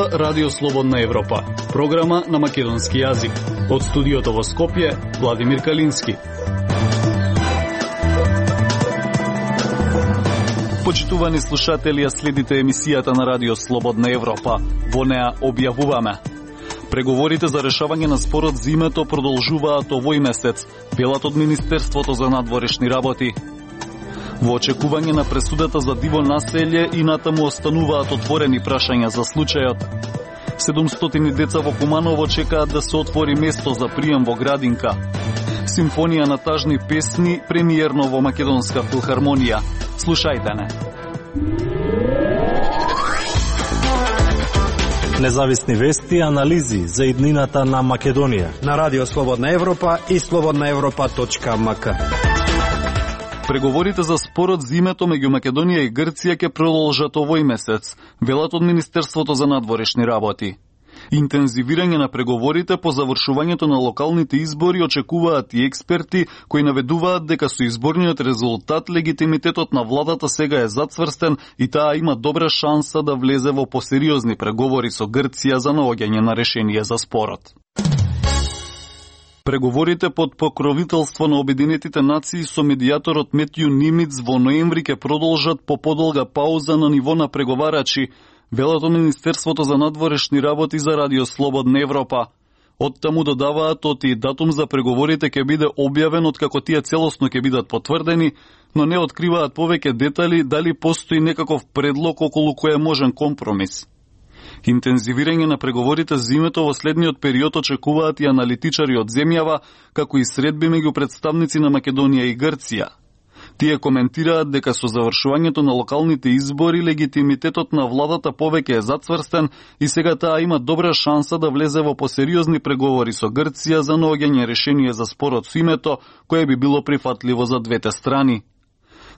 слушнува Радио Слободна Европа, програма на македонски јазик. Од студиото во Скопје, Владимир Калински. Почитувани слушатели, следите емисијата на Радио Слободна Европа. Во неа објавуваме: преговорите за решавање на спорот за името продолжуваат овој месец, велат од Министерството за надворешни работи. Во очекување на пресудата за диво населје и натаму остануваат отворени прашања за случајот. 700 деца во Куманово чекаат да се отвори место за прием во градинка. Симфонија на тажни песни премиерно во Македонска филхармонија. Слушајте не. Независни вести и анализи за иднината на Македонија на Радио Слободна Европа и slobodnaevropa.mk. Преговорите за спорот за името меѓу Македонија и Грција ќе продолжат овој месец, велат од Министерството за надворешни работи. Интензивирање на преговорите по завршувањето на локалните избори очекуваат и експерти кои наведуваат дека со изборниот резултат легитимитетот на владата сега е зацврстен и таа има добра шанса да влезе во посериозни преговори со Грција за наоѓање на решение за спорот. Преговорите под покровителство на Обединетите нации со медијаторот Метју Нимиц во ноември ќе продолжат по подолга пауза на ниво на преговарачи, велат од Министерството за надворешни работи за Радио Слободна Европа. Оттаму додаваат и датум за преговорите ќе биде објавен откако тие целосно ќе бидат потврдени, но не откриваат повеќе детали дали постои некаков предлог околу кој е можен компромис. Интензивирање на преговорите за името во следниот период очекуваат и аналитичари од земјава, како и средби меѓу представници на Македонија и Грција. Тие коментираат дека со завршувањето на локалните избори легитимитетот на владата повеќе е зацврстен и сега таа има добра шанса да влезе во посериозни преговори со Грција за наоѓање решение за спорот со името, кое би било прифатливо за двете страни.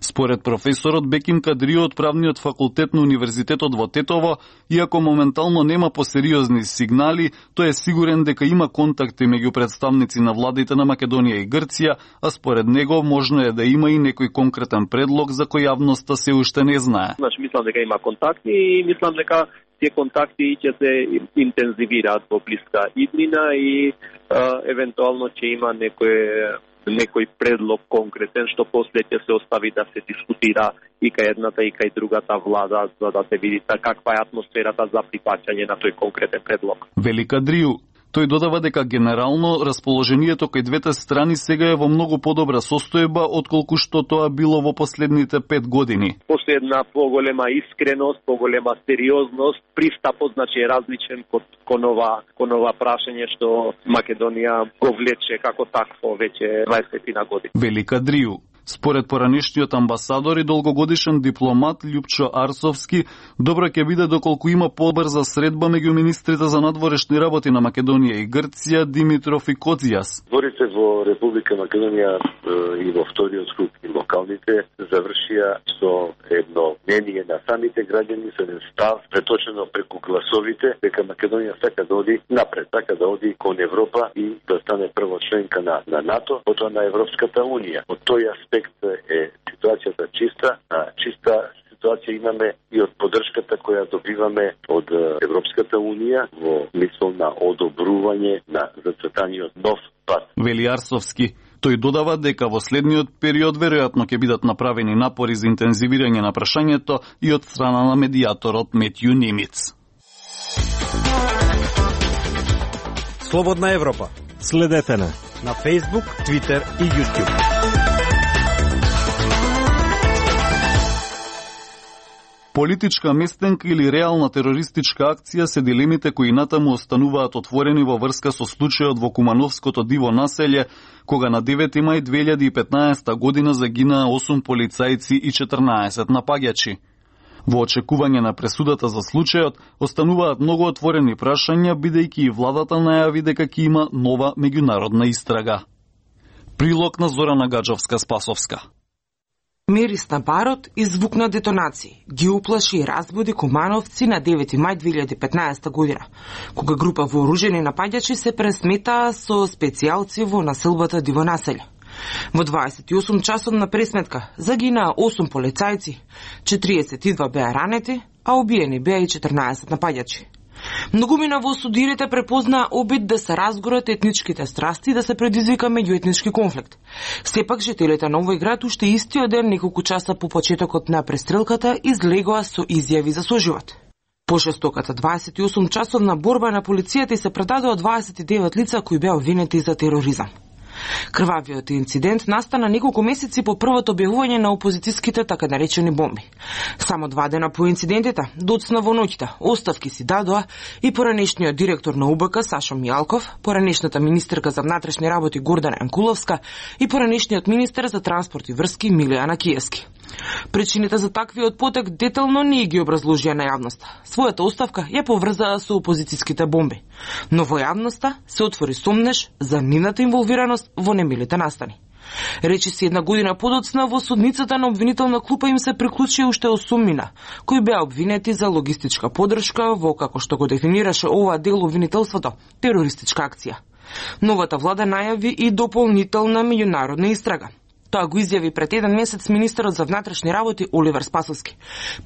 Според професорот Беким Кадрио од правниот факултет на Универзитетот во Тетово, иако моментално нема посериозни сигнали, тој е сигурен дека има контакти меѓу представници на владите на Македонија и Грција, а според него можно е да има и некој конкретен предлог за кој јавноста се уште не знае. Мислам дека има контакти и мислам дека тие контакти ќе се интензивираат во блиска иднина и евентуално ќе има некој предлог конкретен што после ќе се остави да се дискутира и кај едната и кај другата влада за да се види каква е атмосферата за прифаќање на тој конкретен предлог. Велика Дрiju. Тој додава дека генерално расположението кај двете страни сега е во многу подобра состојба отколку што тоа било во последните 5 години. После една поголема искреност, поголема сериозност, пристапот значи е различен кон ова прашање што Македонија го влече како такво веќе 20 години. Велика Дрiju. Според поранешниот амбасадор и долгогодишен дипломат Љупчо Арсовски, добро ќе биде доколку има побрза средба меѓу министрите за надворешни работи на Македонија и Грција Димитров и Коцјас. Зборите во Република Македонија и во вториот круг и локалните завршија со едно мнение на самите граѓани, со еден став преточено преку гласовите дека Македонија сака да оди напред, сака да оди кон Европа и да стане прво членка на НАТО, потоа на Европската унија. Од тој аспект е ситуацијата чиста ситуација имаме и од поддршката која добиваме од Европската унија во мисол на одобрување на зацртаниот нов пат. Вели Арсовски. Тој додава дека во следниот период веројатно ќе бидат направени напори за интензивирање на прашањето и од страна на медијаторот Метју Нимиц. Слободна Европа. Следете на Facebook, Twitter и YouTube. Политичка местенка или реална терористичка акција се дилемите кои натаму остануваат отворени во врска со случајот во Кумановското диво населје, кога на 9 мај 2015 година загинаа 8 полицајци и 14 напаѓачи. Во очекување на пресудата за случајот, остануваат многу отворени прашања, бидејќи и владата најави дека ќе има нова меѓународна истрага. Прилог на Зорана Гаджовска-Спасовска. Мирис на барот и звук на детонации ги уплаши и разбуди кумановци на 9 мај 2015 година, кога група вооружени напаѓачи се пресметаа со специјалци во населбата Диво населје. Во 28 часот на пресметка загинаа 8 полицајци, 42 беа ранети, а убиени беа и 14 напаѓачи. Многумина во судирите препознаа обид да се разгорат етничките страсти и да се предизвика меѓуетнички конфликт. Сепак жителите на овој град уште истиот ден, неколку часа по почетокот на престрелката, излегоа со изјави за соживот. По жестоката 28 часовна борба на полицијата и се предадоа 29 лица кои беа обвинети за тероризам. Крвавиот инцидент настана неколку месеци по првото објавување на опозицијските така наречени бомби. Само 2 дена по инцидентите, доцна во ноќта, оставки си дадоа и поранешниот директор на УБК Сашо Мијалков, поранешната министерка за внатрешни работи Гордана Јанкуловска и поранешниот министер за транспорт и врски Милијана Киевски. Причините за таквиот потек детално не ги образложија на јавноста. Својата оставка ја поврзаа со опозицијските бомби. Но во јавноста се отвори сомнеж за нивната инволвираност во немилите настани. Речи си една година подоцна во судницата на обвинителна клупа им се приклучи уште 8 мина, кои беа обвинети за логистичка подршка во, како што го дефинираше ова дел обвинителството, терористичка акција. Новата влада најави и дополнителна меѓународна истрага. Тоа го изјави пред 1 месец министерот за внатрешни работи Оливер Спасовски.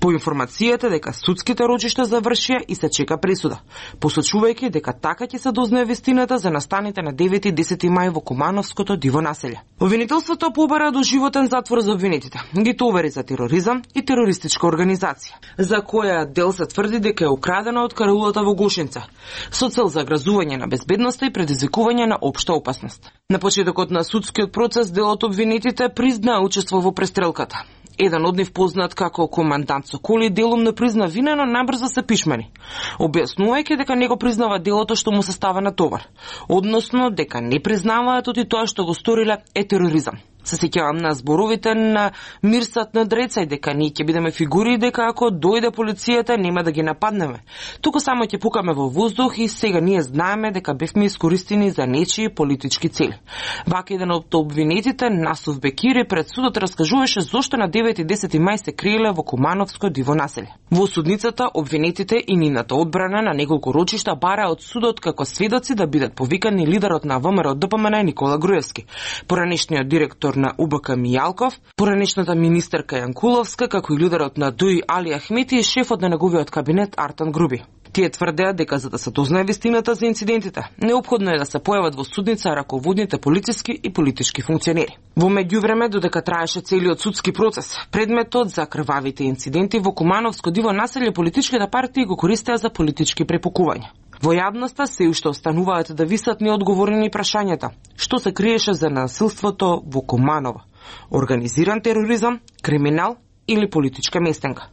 По информацијата дека судските рочишта завршија и се чека пресуда, посочувајќи дека така ќе се дознае вистината за настаните на 9 и 10 мај во Кумановското диво населје. Обвинителството побара доживотен затвор за обвинетите. Ги товари за тероризам и терористичка организација, за која дел се тврди дека е украдена од караулата во Гошинца, со цел за грозување на безбедноста и предизвикување на општа опасност. На почетокот на судскиот процес делот обвинетите признаа учество во престрелката. Еден од нив, познат како командант Соколи, делумно призна вина, но набрзо се пишмани, објаснувајќи дека не го признава делото што му се става на товар, односно дека не признаваат оти тоа што го сториле е тероризам. Се сеќавам на зборовите на Мирсат на Дреца и дека ние ќе бидеме фигури и дека ако дојде полицијата нема да ги нападнеме. Туку само ќе пукаме во воздух и сега ние знаеме дека бевме искористени за нечии политички цели. Вака еден од обвинетите, Насов Бекири, пред судот раскажуваше зошто на 9 и 10 мај се криеле во Кумановско диво населје. Во судницата обвинетите и нивната одбрана на неколку рочишта бараа од судот како сведоци да бидат повикани лидерот на ВМРО ДПМН Никола Груевски, поранешниот директор на УБК Мијалков, поранешната министерка Јанкуловска, како и лидерот на ДУИ Али Ахмети и шефот на неговиот кабинет Артан Груби. Тие тврдеа дека за да се дознае вистината за инцидентите, неопходно е да се појават во судница раководните полициски и политички функционери. Во меѓувреме, додека траеше целиот судски процес, предметот за крвавите инциденти во Кумановско диво населје политичките партии го користеа за политички препукувања. Во јавноста се уште остануваат да висат неодговорени прашањата. Што се криеше за насилството во Куманово? Организиран тероризам, криминал или политичка местенка?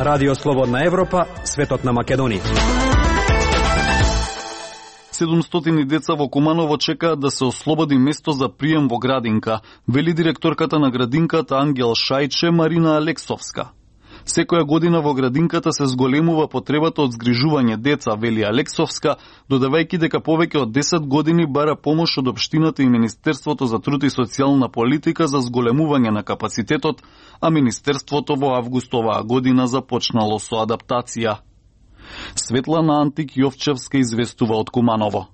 Радио Слободна Европа, светот на Македонија. 700 деца во Куманово чекаат да се ослободи место за прием во градинка, вели директорката на градинката Ангел Шајче Марина Алексовска. Секоја година во градинката се зголемува потребата од згрижување деца, вели Алексовска, додавајќи дека повеќе од 10 години бара помош од општината и Министерството за труд и социјална политика за зголемување на капацитетот, а Министерството во август оваа година започнало со адаптација. Светлана Антик Јовчевска известува од Куманово.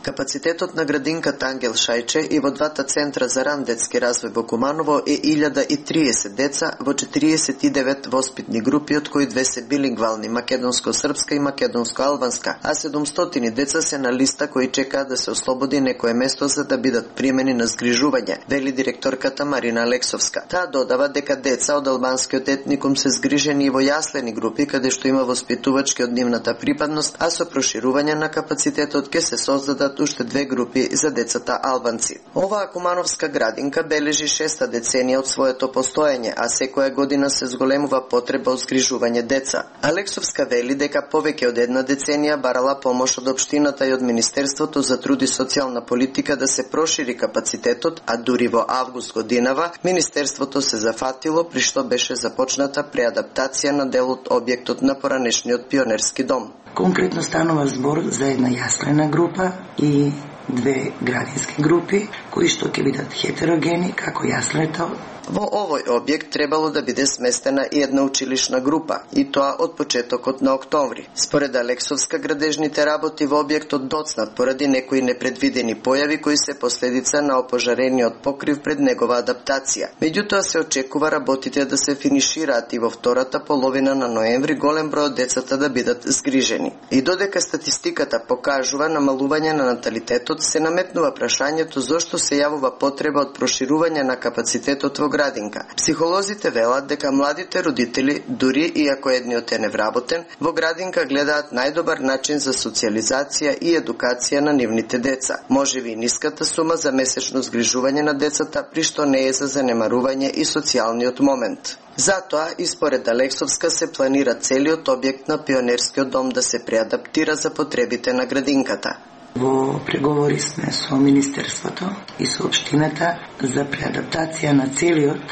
Капацитетот на градинката Ангел Шајче и во двата центра за ран детски развој во Куманово е 1030 деца во 49 воспитни групи, од кои 2 се билингвални, македонско-српска и македонско-албанска, а 700 деца се на листа кои чекаат да се ослободи некое место за да бидат примени на згрижување, вели директорката Марина Алексовска. Таа додава дека деца од албанскиот етникум се згрижени и во јаслени групи, каде што има воспитувачки од нивната припадност, а со проширување на капацитетот ќе се создадат уште 2 групи за децата албанци. Оваа кумановска градинка бележи 6-та деценија од своето постоење, а секоја година се зголемува потреба од згрижување деца. Алексовска вели дека повеќе од 1 деценија барала помош од општината и од Министерството за труд и социјална политика да се прошири капацитетот, а дури во август годинава Министерството се зафатило при што беше започната преадаптација на дел од објектот на поранешниот пионерски дом. Конкретно станува збор за една јаслена група и две градински групи кои што ќе бидат хетерогени како јаслето. Во овој објект требало да биде сместена и една училишна група, и тоа од почетокот на октомври. Според Алексовска, градежните работи во објектот доцнат поради некои непредвидени појави кои се последица на опожарениот покрив пред негова адаптација. Меѓутоа се очекува работите да се финишираат и во втората половина на ноември голем број од децата да бидат згрижени. И додека статистиката покажува намалување на наталитетот, се наметнува прашањето зошто се јавува потреба од проширување на капацитетот во градинка. Психолозите велат дека младите родители, дури и ако едниот е невработен, во градинка гледаат најдобар начин за социализација и едукација на нивните деца. Можеби и ниската сума за месечно згрижување на децата, при што не е за занемарување и социјалниот момент. Затоа, и според Алексовска, се планира целиот објект на Пионерскиот дом да се преадаптира за потребите на градинката. Во преговори сме со Министерството и со Општината за преадаптација на целиот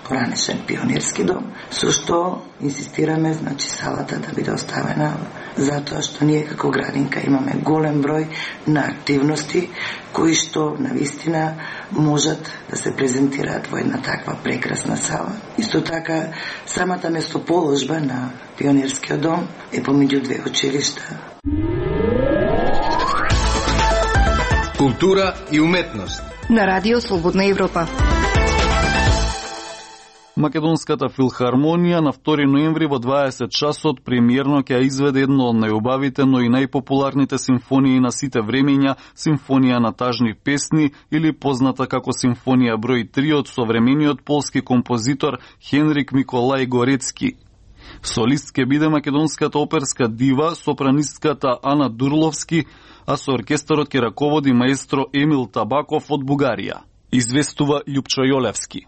поранешен Пионерски дом, со што инсистираме, значи, салата да биде оставена, затоа што ние како градинка имаме голем број на активности кои што навистина можат да се презентираат во една таква прекрасна сала. Исто така, самата местоположба на Пионерскиот дом е помеѓу две училишта. Култура и уметност на Радио Слободна Европа. Македонската филхармонија на 2 ноември во 20 часот премиерно ќе изведе едно од најубавите, но и најпопуларните симфонии на сите времења, симфонија на тажни песни или позната како симфонија број 3 од современиот полски композитор Хенрик Миколај Горецки. Солист ќе биде македонската оперска дива, сопранистката Ана Дурловски, а со оркестарот ќе раководи маестро Емил Табаков од Бугарија. Известува Љупчо Јолевски.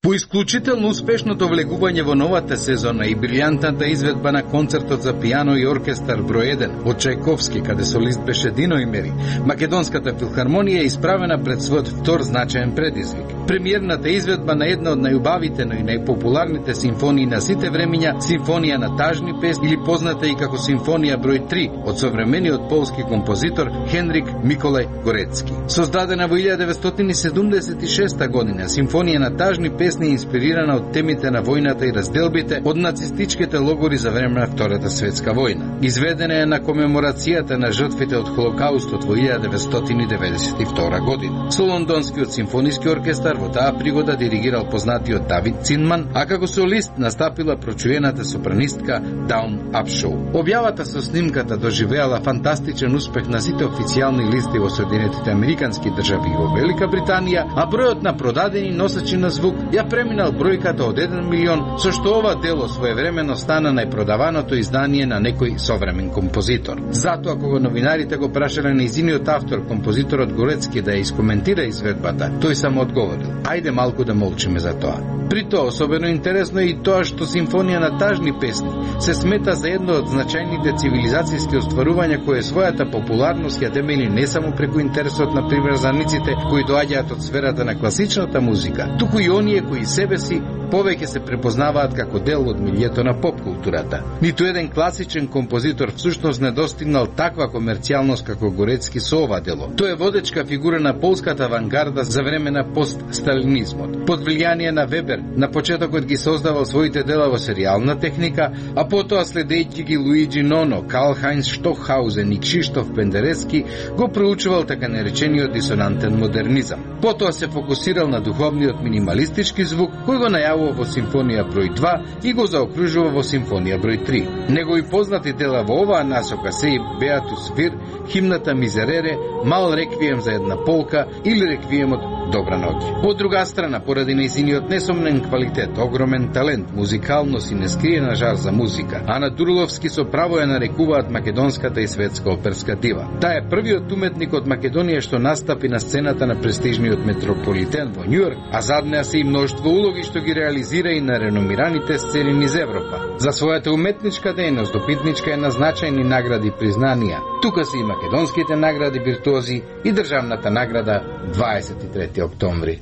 По исклучително успешното влегување во новата сезона и брилјантната изведба на концертот за пијано и оркестар број 1 од Чајковски, каде солист беше Дино Имери, Македонската филхармонија е исправена пред својот втор значаен предизвик. Премиерната изведба на една од најубавите, но и најпопуларните симфонии на сите времења, симфонија на тажни песни или позната и како симфонија број 3 од современиот полски композитор Хенрик Миколај Горецки. Создадена во 1976 година, симфонија на тажни песни инспирирана од темите на војната и разделбите од нацистичките логори за време на Втората светска војна. Изведена е на комеморацијата на жртвите од Холокаустот во 1992 година. Со Лондонскиот симфониски оркестар во таа пригода диригирал познатиот Давид Цинман, а како солист настапила прочуената сопранистка Даун Апшоу. Објавата со снимката доживеала фантастичен успех на сите официјални листи во Соединетите Американски држави и во Велика Британија, а бројот на продадени носачи на звук ја преминал бројката од 1 милион, со што ова дело своевремено стана најпродаваното издание на некој современ композитор. Затоа кога новинарите го прашале нејзиниот автор, композиторот Горецки, да ја искоментира изведбата, тој само одговорил: ајде малку да молчиме за тоа. При тоа особено интересно е и тоа што симфонија на тажни песни се смета за едно од значајните цивилизацијски остварувања кое својата популарност ја темели не само преку интересот на приврзаниците кои доаѓаат од сферата на класичната музика, туку и оние кои себе си повеќе се препознаваат како дел од милието на поп-културата. Ниту еден класичен композитор всушност не достигнал таква комерцијалност како Горецки со ова дело. Тој е водечка фигура на полската авангарда за време на постсталинизмот. Под влијание на Вебер, на почетокот ги создавал своите дела во серијална техника, а потоа следејќи ги Луиджи Ноно, Карл Хајнц Штокхаузен и Кшиштоф Пендерески, го проучувал така наречениот дисонантен модернизам. Потоа се фокусирал на духовниот минималистички звук, кој го најавува во симфонија број 2 и го заокружува во симфонија број 3. Негови познати дела во оваа насока се и Беатус Вир, химната Мизерере, Мал реквием за една полка или реквиемот Добра ноќ. Од друга страна, поради нејзиниот несомнен квалитет, огромен талент, музикалност и нескриена жар за музика, Ана Дурловски со право ја нарекуваат македонската и светска оперска дива. Таа е првиот уметник од Македонија што настапи на сцената на престижниот Метрополитен во Њујорк, а зад неа се и мноштво улоги што ги реализира и на реномираните сцени низ Европа. За својата уметничка дејност допитничка е на значајни награди и признанија. Тука се и македонските награди виртуози и државната награда 23 октомври.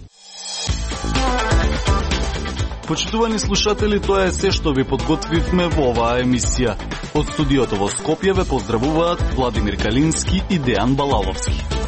Почитувани слушатели, тоа е се што ви подготвивме во оваа емисија. Од студиото во Скопје ве поздравуваат Владимир Калински и Дејан Балаловски.